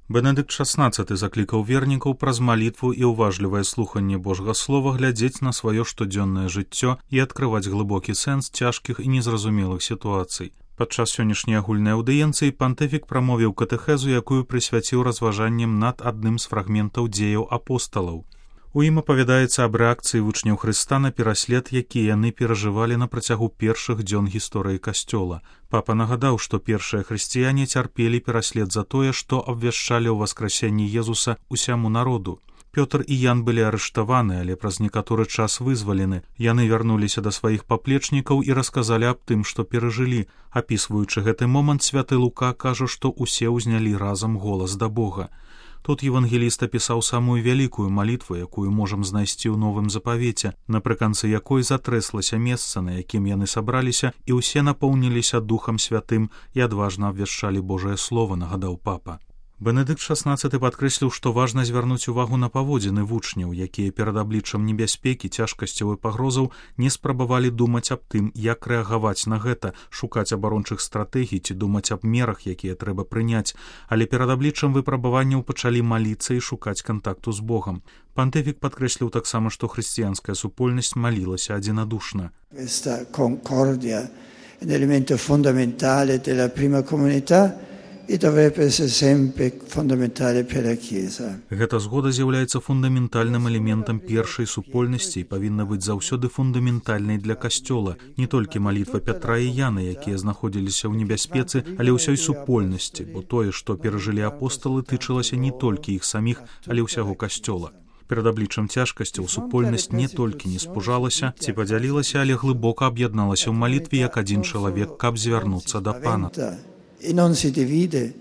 Бенедыкт XVI заклікаў вернікаў праз малітву і ўважлівае слуханне Божага слова глядзець на сваё штодзённае жыццё і адкрываць глыбокі сэнс цяжкіх і незразумелых сітуацый. Падчас сённяшняй агульнай аўдыенцыі пантыфік прамовіў катэхезу, якую прысвяціў разважанням над адным з фрагментаў дзеяў апосталаў. У ім апавядаецца аб рэакцыі вучняў Хрыста на пераслед, які яны перажывалі на працягу першых дзён гісторыі Касцёла. Папа нагадаў, што першыя хрысціяне цярпелі пераслед за тое, што абвяшчалі ў васкрасенні Езуса ўсяму народу. Пётр і Ян былі арыштаваны, але праз некаторы час вызвалены. Яны вярнуліся да сваіх паплечнікаў і расказалі аб тым, што перажылі. Апісваючы гэты момант, святы Лука кажа, што ўсе ўзнялі разам голас да Бога. Тут евангеліст апісаў самую вялікую малітву, якую можам знайсці ў Новым Запавеце, напрыканцы якой затрэслася месца, на якім яны сабраліся, і ўсе напоўніліся Духам Святым і адважна абвяшчалі Божае Слова, нагадаў папа. Бенедыкт XVI падкрэсліў, што важна звярнуць увагу на паводзіны вучняў, якія перад абліччам небяспекі, цяжкасцяў і пагрозаў не спрабавалі думаць аб тым, як рэагаваць на гэта, шукаць абарончых стратэгій ці думаць аб мерах, якія трэба прыняць, але перад абліччам выпрабаванняў пачалі маліцца і шукаць кантакту з Богам. Пантыфік падкрэсліў таксама, што хрысціянская супольнасць малілася адзінадушна. Questa concordia è un elemento fondamentale della prima comunità і dovrebbe essere sempre fondamentale per la Chiesa. Гэта згода з'яўляецца фундаментальным элементам першай супольнасці і павінна быць заўсёды фундаментальнай для Касцёла. Не толькі малітва Пятра і Яна, якія знаходзіліся ў небяспецы, але ўсёй супольнасці, бо тое, што перажылі апосталы, тычылася не толькі іх саміх, але ўсяго Касцёла. Перад абліччам цяжкасцяў супольнасць не толькі не спужалася ці падзялілася, але глыбока аб'ядналася ў малітве як адзін чалавек, каб звярнуцца да Пана. E non si divide,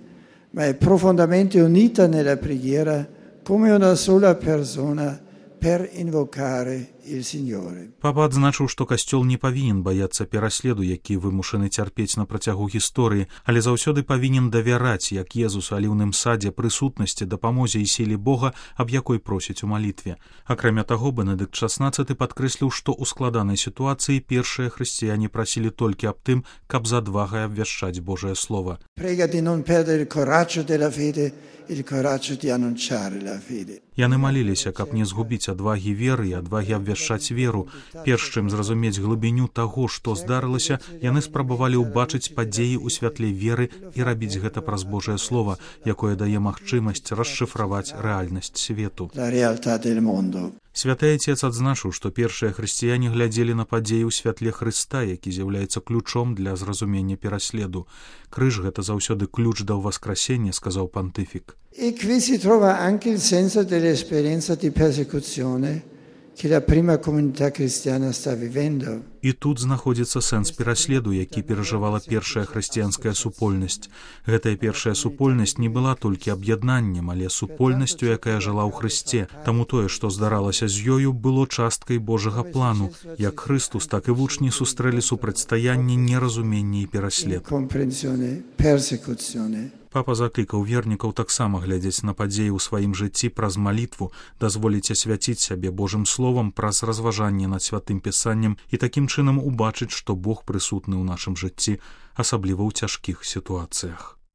ma è profondamente unita nella preghiera come una sola persona per invocare il Signore. Папа адзначыў, што Касцёл не павінен баяцца пераследу, які вымушаны цярпець на працягу гісторыі, але заўсёды павінен давяраць, як Езус у аліўным садзе, прысутнасці, дапамозе і сіле Бога, аб якой просіць у малітве. Акрамя таго, Бенедыкт XVI падкрэсліў, што ў складанай сітуацыі першыя хрысціяне прасілі толькі аб тым, каб з адвагай абвяшчаць Божае Слова. Prega di non perdere il coraggio della fede, il coraggio di annunciare la fede. Яны маліліся, каб не згубіць адвагі веры і адвагі абвяшчаць веру. Перш чым зразумець глыбіню таго, што здарылася, яны спрабавалі ўбачыць падзеі ў святле веры і рабіць гэта праз Божае Слова, якое дае магчымасць расшыфраваць рэальнасць свету. La realtà del mondo. Святы Отец адзначыў, што першыя хрысціяне глядзелі на падзеі ў святле Хрыста, які з'яўляецца ключом для зразумення пераследу. Крыж — гэта заўсёды ключ да ўваскрасення, сказаў пантыфік. E qui si trova anche il senso dell'esperienza di persecuzione che la prima comunità cristiana sta vivendo. І тут знаходзіцца сэнс пераследу, які перажывала першая хрысціянская супольнасць. Гэтая першая супольнасць не была толькі аб'яднаннем, але супольнасцю, якая жыла ў Хрысце. Таму тое, што здаралася з ёю, было часткай Божага плану. Як Хрыстус, так і вучні сустрэлі супрацьстаянне, неразуменне і пераслед. Папа заклікаў вернікаў таксама глядзець на падзеі ў сваім жыцці праз малітву, дазволіць асвяціць сябе Божым Словам праз разважанне над святым пісаннем і такім чынам убачыць, што Бог прысутны ў нашым жыцці, асабліва ў цяжкіх сітуацыях.